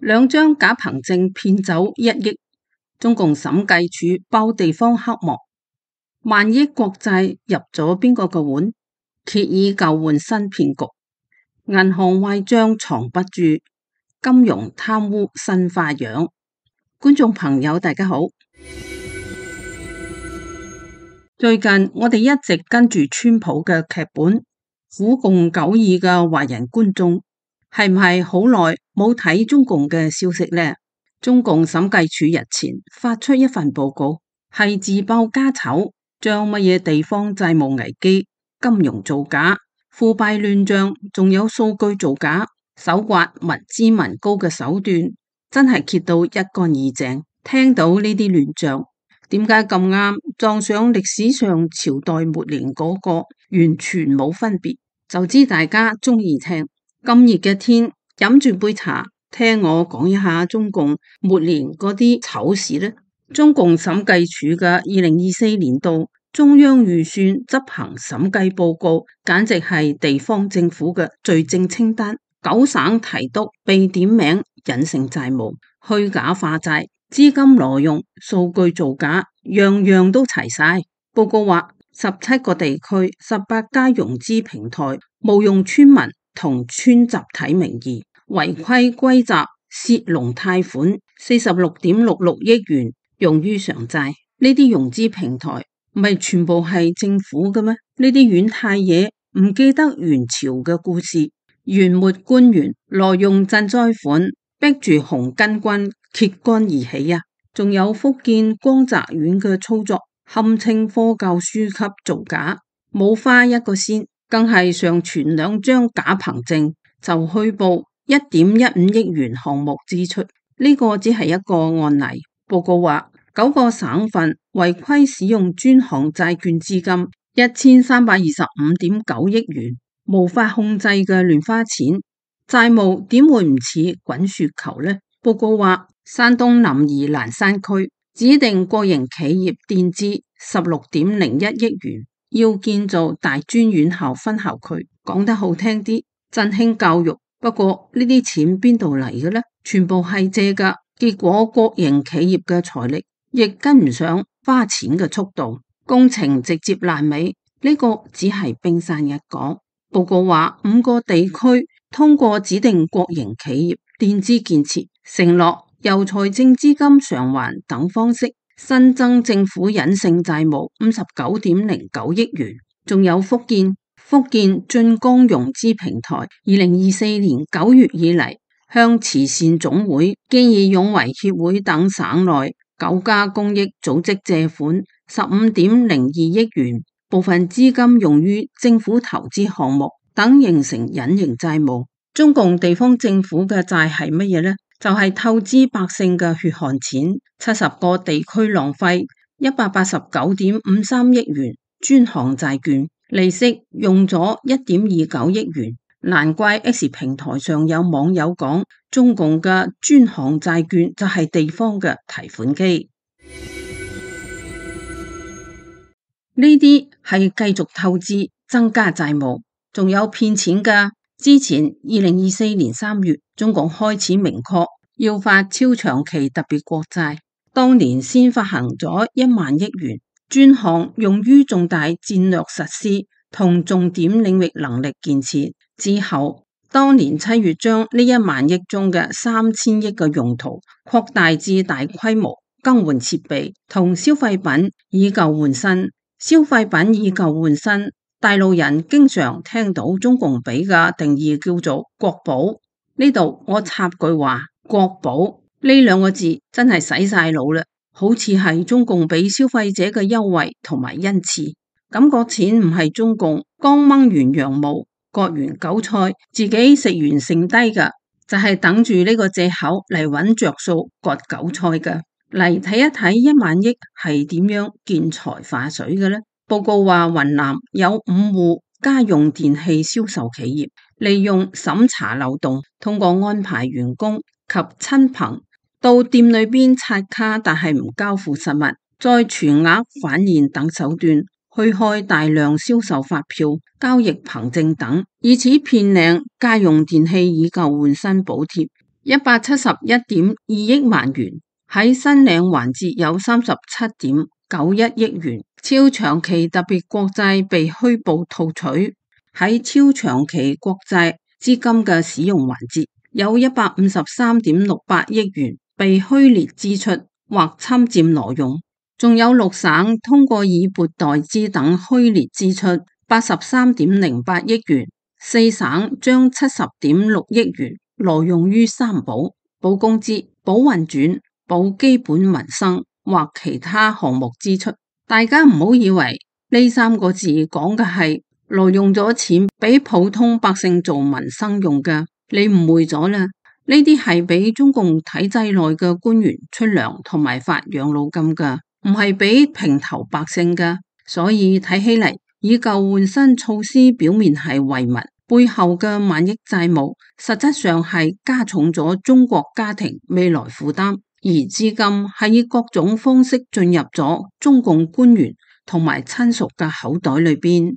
兩張假憑證騙走1億，中共審計署爆地方黑幕，萬億國債入咗邊個個碗？揭以舊換新騙局，銀行壞賬藏不住，金融貪污新花樣。觀眾朋友大家好，最近我哋一直跟住川普嘅劇本，苦共久矣嘅華人觀眾係唔係好耐冇睇中共嘅消息呢？中共審計署日前發出一份報告，係自爆家醜，將乜嘢地方債務危機、金融造假、腐敗亂賬，仲有數據造假，搜刮民脂民膏嘅手段，真係揭到一乾二淨。聽到呢啲亂賬，點解咁啱撞上歷史上朝代末年嗰個，完全冇分別，就知大家中意聽。咁熱嘅天，飲住杯茶，聽我講一下中共末年嗰啲醜事呢。中共審計署嘅2024年度中央預算執行審計報告，簡直係地方政府嘅罪證清單。9省提督被點名隱性債務、虛假化債、資金挪用、數據造假，樣樣都齊晒。報告話17個地區、18家融資平台冒用村民同村集體名義，違規歸集泄露貸款46.66億元用於償債。呢啲融資平台唔係全部係政府嘅咩？呢啲軟太嘢唔記得元朝嘅故事，元末官員挪用賑災款，逼住紅巾軍揭竿而起啊！仲有福建光澤縣嘅操作，堪稱科教書級造假，冇花一個仙，更係上傳2張假憑證就虛報1.15億元項目支出。呢個只係一個案例。報告話9個省份違規使用專項債券資金1325.9億元，無法控制嘅亂花錢，債務點會唔似滾雪球呢？報告話山東臨沂蘭山區指定國營企業墊資16.01億元，要建造大專院校分校區，講得好聽啲，振興教育。不過呢啲錢邊度嚟嘅呢？全部係借㗎，結果國營企業嘅財力亦跟唔上花錢嘅速度，工程直接爛尾。呢個只係冰山一角。報告話5個地區通過指定國營企業墊資建設，承諾由財政資金償還等方式新增政府隱性債務59.09億元。仲有福建晉江融資平台2024年9月以嚟，向慈善總會、見義勇為協會等省內9家公益組織借款15.02億元，部分資金用於政府投資項目等，形成隱形債務。中共地方政府嘅債係乜嘢呢？就係透支百姓嘅血汗錢，70個地區浪費189.53億元專項債券，利息用咗1.29億元。難怪 X 平台上有網友講，中共嘅專項債券就係地方嘅提款機。呢啲係繼續透支增加債務，仲有騙錢㗎。之前2024年3月，中共開始明確要發超長期特別國債，當年先發行咗1萬億元專項，用於重大戰略實施同重點領域能力建設。之後當年7月將呢1萬億中嘅3000億嘅用途擴大至大規模更換設備同消費品，以舊換新。消費品以舊換新，大陸人經常聽到中共俾嘅定義叫做國寶。呢度我插句話，國寶呢2個字真係洗晒腦啦，好似係中共俾消費者嘅優惠同埋恩賜，感覺錢唔係中共剛掹完羊毛割完韭菜自己食完剩低嘅，就係等住呢個借口嚟揾着數割韭菜嘅。嚟睇一睇1萬億係點樣見財化水嘅呢？報告話雲南有5戶家用電器銷售企業，利用審查漏洞，通過安排員工及親朋到店裏邊刷卡，但係唔交付實物，再全額返現等手段，虛開大量銷售發票、交易憑證等，以此騙領家用電器以舊換新補貼。171.2億萬元，喺申領環節有37.91億元，超長期特別國債被虛報套取，喺超長期國債資金嘅使用環節有153.68億元被虛列支出或侵佔挪用，仲有6省通過以撥代支等虛列支出83.08億元，4省將70.6億元挪用於三保：保工資、保運轉、保基本民生或其他項目支出。大家唔好以為呢3個字講嘅係挪用咗錢俾普通百姓做民生用嘅，你誤會咗啦。呢啲係俾中共體制內嘅官員出糧同埋發養老金噶，唔係俾平頭百姓噶。所以睇起嚟，以舊換新措施表面係惠民，背後嘅萬億債務實質上係加重咗中國家庭未來負擔，而資金係以各種方式進入咗中共官員同埋親屬嘅口袋裏邊。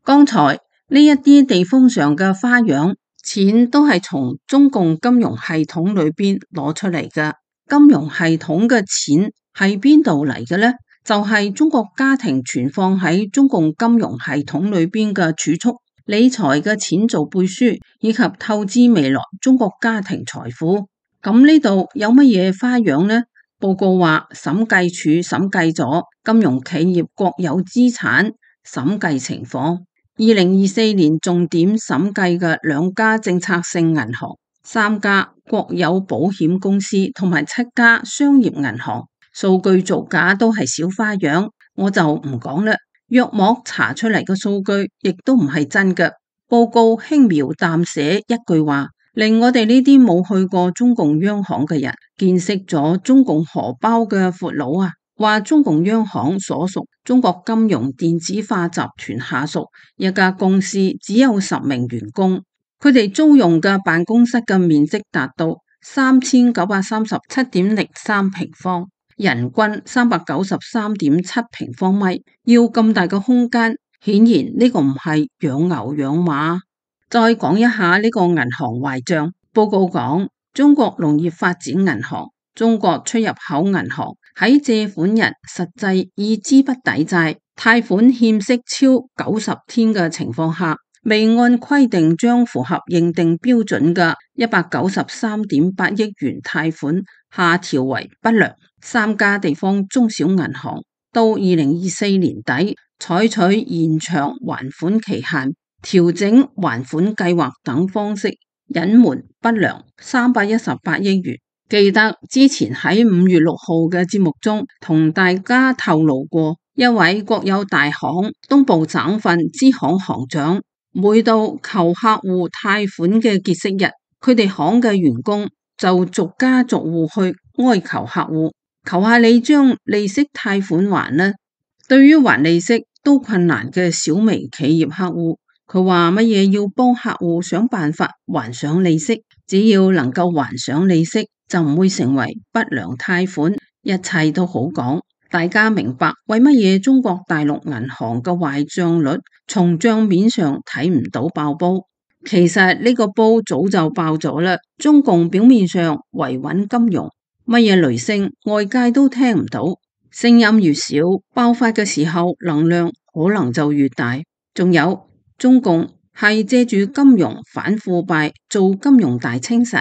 剛才呢一啲地方上嘅花樣，錢都係從中共金融系統裏邊攞出嚟嘅。金融系統嘅錢係邊度嚟嘅呢？就係中國家庭存放喺中共金融系統裏邊嘅儲蓄、理財嘅錢做背書，以及透支未來中國家庭財富。咁呢度有乜嘢花樣呢？報告話審計署審計咗金融企業國有資產審計情況。2024年重點審計嘅2家政策性銀行、3家國有保險公司同埋7家商業銀行，數據造假都係小花樣，我就唔講啦。約莫查出嚟嘅數據亦都唔係真嘅。報告輕描淡寫一句話，令我哋呢啲冇去過中共央行嘅人見識咗中共荷包嘅闊佬啊！話中共央行所屬中國金融電子化集團下屬一家公司只有10名員工，佢哋租用嘅辦公室嘅面積達到3937.03平方，人均393.7平方米，要咁大嘅空間，顯然呢個唔係養牛養馬。再講一下呢個銀行壞賬，報告講中國農業發展銀行、中國出入口銀行喺借款人實際以資不抵債、貸款欠息超90天嘅情況下，未按規定將符合認定標準嘅193.8億元貸款下調為不良。3家地方中小銀行到2024年底採取延長還款期限、調整還款計劃等方式隱瞞不良318億元。記得之前喺5月6號嘅節目中同大家透露過，一位國有大行東部省份支行行長，每到求客戶貸款嘅結息日，佢哋行嘅員工就逐家逐戶去哀求客戶，求下你將利息貸款還啦。對於還利息都困難嘅小微企業客戶，佢話乜嘢要幫客戶想辦法還上利息，只要能夠還上利息，就唔會成為不良貸款，一切都好講。大家明白為乜嘢中國大陸銀行嘅壞賬率從賬面上睇唔到爆煲？其實呢個煲早就爆咗啦。中共表面上維穩金融，乜嘢雷聲外界都聽唔到，聲音越少，爆發嘅時候能量可能就越大。仲有中共係借住金融反腐敗做金融大清洗。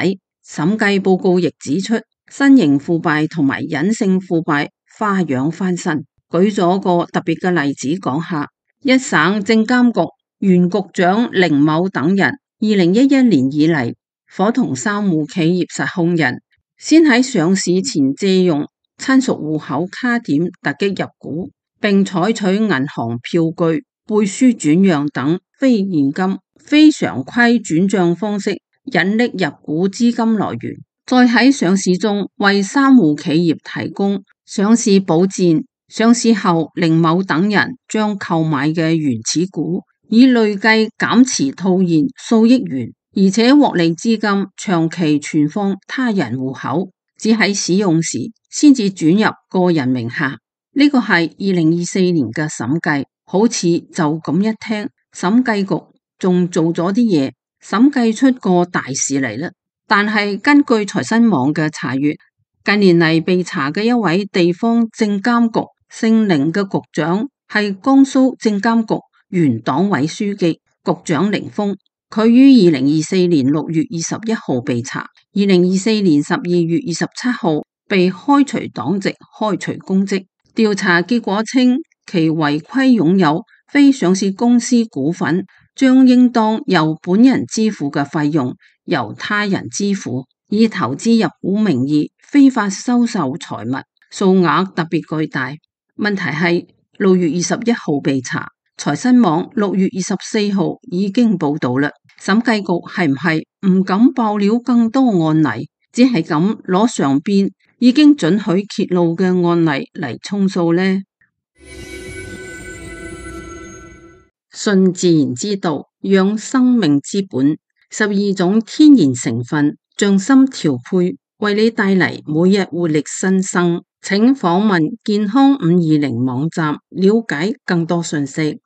審計報告亦指出，新型腐敗同埋隱性腐敗花樣翻新。舉咗個特別嘅例子講下，一省證監局原局長凌某等人2011年以嚟，夥同3戶企業實控人，先喺上市前借用親屬戶口卡點突擊入股，並採取銀行票據、背書轉讓等非現金、非常規轉賬方式引力入股資金來源，再喺上市中為3戶企業提供上市保薦。上市後，凌某等人將購買嘅原始股以累計減持套現數億元，而且獲利資金長期存放他人戶口，只喺使用時先至轉入個人名下。呢個係2024年嘅審計，好似就咁一聽，審計局仲做咗啲嘢。審計出個大事嚟啦。但係根據財新網嘅查閱，近年嚟被查嘅一位地方證監局姓凌嘅局長係江蘇證監局原黨委書記局長凌峰，佢於2024年6月21號被查，2024年12月27號被開除黨籍、開除公職。調查結果稱，其違規擁有非上市公司股份，將應當由本人支付嘅費用由他人支付，以投資入股名義非法收受財物，數額特別巨大。問題係6月21號被查，財新網6月24號已經報道啦。審計局係唔係唔敢爆料更多案例，只係咁攞上邊已經准許揭露嘅案例嚟充數呢？順自然之道，養生命之本，12種天然成分，匠心調配，為你帶嚟每日活力新生。請訪問健康520網站，了解更多信息。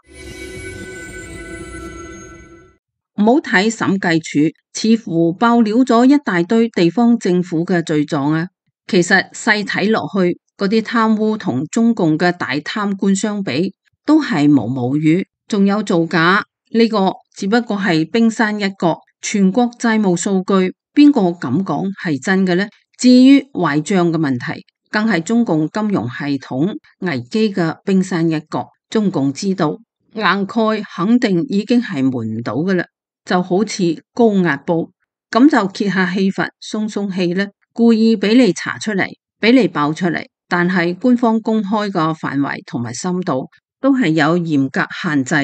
唔好睇審計署似乎爆料咗一大堆地方政府嘅罪狀啊，其實細睇落去，嗰啲貪污同中共嘅大貪官相比，都係毛毛雨。仲有造假，呢個只不過係冰山一角。全國債務數據邊個敢講係真嘅呢？至於壞賬嘅問題，更係中共金融系統危機嘅冰山一角。中共知道硬蓋肯定已經係瞞唔到㗎喇，就好似高壓煲，咁就揭下氣閥鬆鬆氣咧，故意俾你查出嚟，俾你爆出嚟。但係官方公開嘅範圍同埋深度都係有嚴格限制。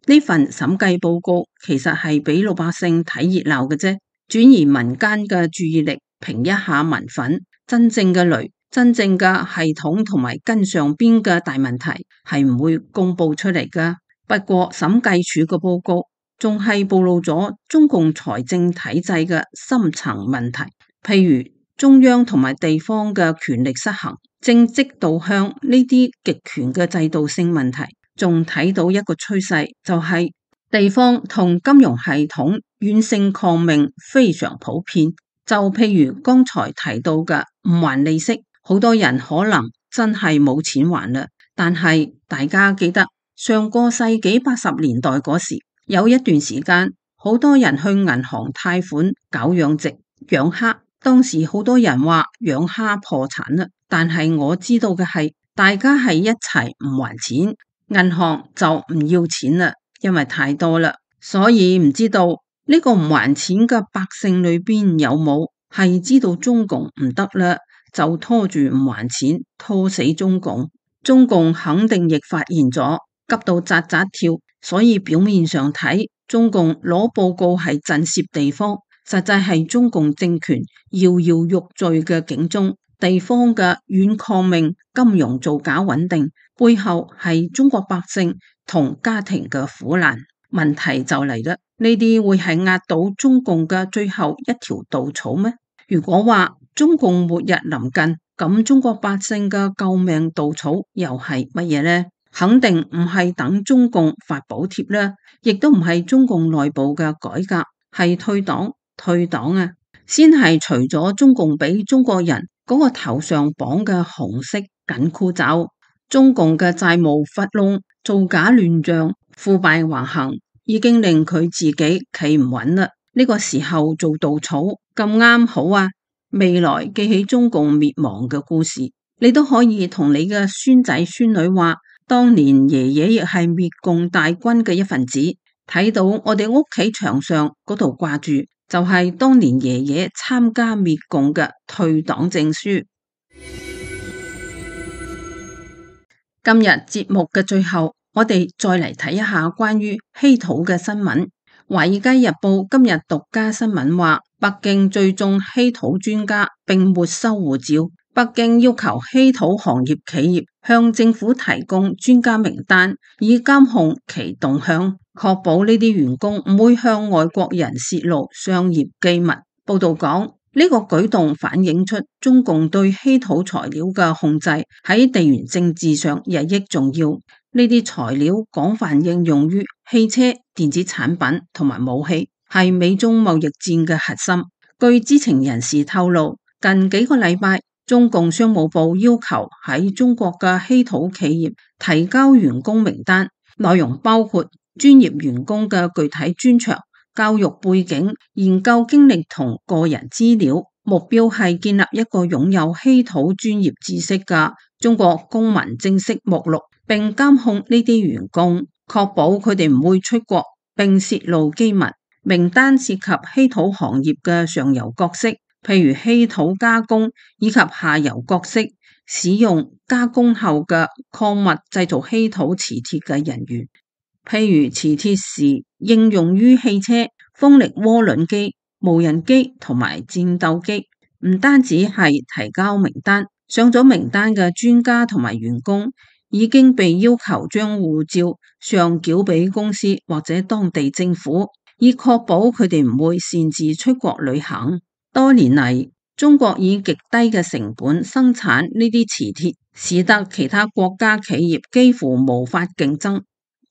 呢份審計報告其實係俾老百姓睇熱鬧嘅啫，轉移民間嘅注意力，平一下民憤。真正嘅雷、真正嘅系統同埋跟上邊嘅大問題係唔會公布出嚟噶。不過審計署嘅報告仲係暴露咗中共財政體制嘅深層問題，譬如中央同埋地方嘅權力失衡、政績導向呢啲極權嘅制度性問題。仲睇到一個趨勢，就係地方同金融系統軟性抗命非常普遍。就譬如剛才提到嘅唔還利息，好多人可能真係冇錢還啦。但係大家記得上個世紀80年代嗰時，有一段時間好多人去銀行貸款搞養殖、養蝦，當時好多人話養蝦破產啦。但係我知道嘅係，大家係一齊唔還錢。銀行就唔要錢啦，因為太多啦，所以唔知道呢個唔還錢嘅百姓裏邊有冇係知道中共唔得啦，就拖住唔還錢，拖死中共。中共肯定亦發現咗，急到扎扎跳，所以表面上睇中共攞報告係震懾地方，實際係中共政權搖搖欲墜嘅警鐘。地方嘅軟抗命、金融造假穩定，背後係中國百姓同家庭嘅苦難。問題就嚟啦，呢啲會係壓倒中共嘅最後一條稻草咩？如果話中共末日臨近，咁中國百姓嘅救命稻草又係乜嘢呢？肯定唔係等中共發補貼啦，亦都唔係中共內部嘅改革，係退黨啊！先係除咗中共俾中國人嗰個頭上綁嘅紅色緊箍咒，中共嘅債務窟窿、造假亂賬、腐敗橫行，已經令佢自己企唔穩啦。呢個時候做稻草咁啱好啊！未來記起中共滅亡嘅故事，你都可以同你嘅孫仔孫女話，當年爺爺亦係滅共大軍嘅一份子。睇到我哋屋企牆上嗰度掛住，就係當年爺爺參加滅共嘅退黨證書。今日節目嘅最後，我哋再嚟睇一下關於稀土嘅新聞。華爾街日報今日獨家新聞話，北京追蹤稀土專家並沒收護照。北京要求稀土行業企業向政府提供專家名單，以監控其動向，確保呢啲員工唔會向外國人泄露商業機密。報道講，呢個舉動反映出中共對稀土材料嘅控制喺地緣政治上日益重要。呢啲材料廣泛應用於汽車、電子產品同埋武器，係美中貿易戰嘅核心。據知情人士透露，近幾個禮拜，中共商務部要求喺中國嘅稀土企業提交員工名單，內容包括專業員工嘅具體專長、教育背景、研究經歷同個人資料，目標係建立一個擁有稀土專業知識嘅中國公民正式目錄，並監控呢啲員工，確保佢哋唔會出國並洩露機密。名單涉及稀土行業嘅上游角色，譬如稀土加工，以及下游角色，使用加工後嘅礦物製造稀土磁鐵嘅人員，譬如磁鐵時應用於汽車、風力渦輪機、無人機同埋戰鬥機。唔單止係提交名單，上咗名單嘅專家同埋員工已經被要求將護照上繳俾公司或者當地政府，以確保佢哋唔會擅自出國旅行。多年嚟，中國以極低嘅成本生產呢啲磁鐵，使得其他國家企業幾乎無法競爭。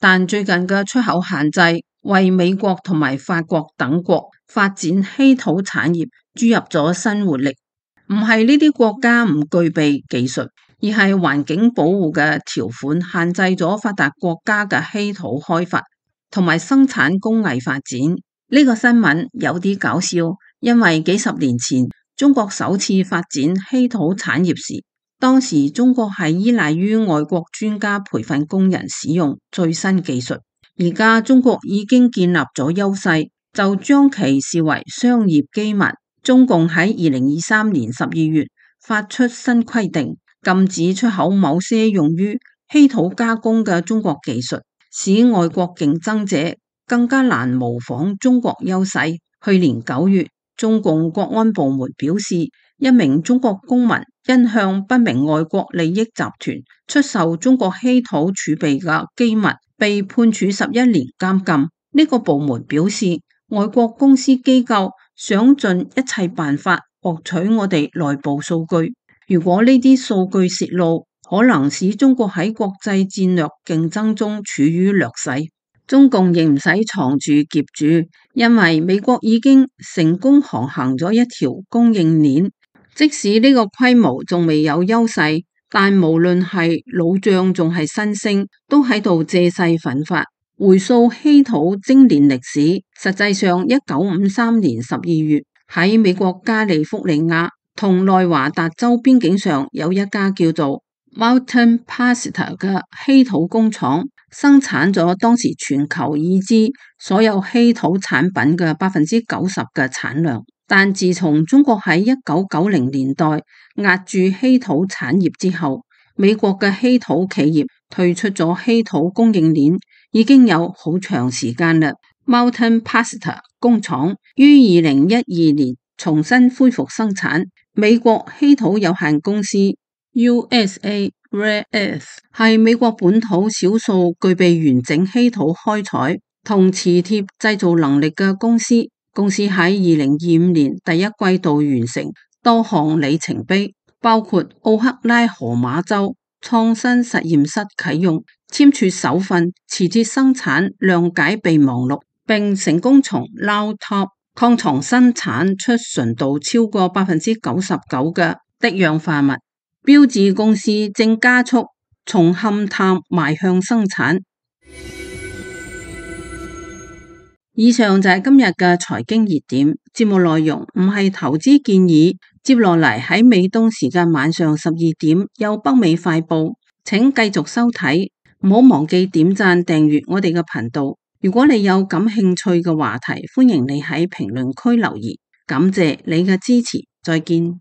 但最近嘅出口限制，為美國同埋法國等國發展稀土產業注入咗新活力。唔係呢啲國家唔具備技術，而係環境保護嘅條款限制咗發達國家嘅稀土開發同埋生產工藝發展。呢個新聞有啲搞笑，因為幾十年前中國首次發展稀土產業時，當時中國係依賴於外國專家培訓工人使用最新技術。而家中國已經建立咗優勢，就將其視為商業機密。中共喺2023年12月發出新規定，禁止出口某些用於稀土加工嘅中國技術，使外國競爭者更加難模仿中國優勢。去年9月，中共國安部門表示，一名中國公民因向不明外國利益集團出售中國稀土儲備嘅機密，被判處11年監禁。呢個部門表示，外國公司機構想盡一切辦法獲取我哋內部數據。如果呢啲數據泄露，可能使中國喺國際戰略競爭中處於劣勢。中共亦唔使藏住挾住，因為美國已經成功航行咗一條供應鏈。即使呢個規模仲未有優勢，但無論係老將仲係新星，都喺度借勢奮發。回溯稀土精煉歷史，實際上1953年12月喺美國加利福尼亞同內華達州邊境上有一家叫做 Mountain Pacitor 嘅稀土工廠，生產咗當時全球已知所有稀土產品嘅90%嘅產量。但自從中國喺1990年代壓住稀土產業之後，美國嘅稀土企業退出咗稀土供應鏈已經有好長時間啦。Mountain Pacitor 工廠於2012年重新恢復生產。美國稀土有限公司 USA Rare Earth 係美國本土少數具備完整稀土開採同磁鐵製造能力嘅公司。公司喺2025年第一季度完成多項里程碑，包括奧克拉荷馬州創新實驗室啟用，簽署首份磁鐵生產諒解備忘錄，並成功從 Round Top 礦床生產出純度超過99%嘅的氧化物。標致公司正加速從勘探邁向生產。以上就係今日嘅財經熱點，節目內容唔係投資建議。接落嚟喺美東時間晚上12點有北美快報，請繼續收睇，唔好忘記點讚訂閱我哋嘅頻道。如果你有感興趣嘅話題，歡迎你喺評論區留言。感謝你嘅支持，再見。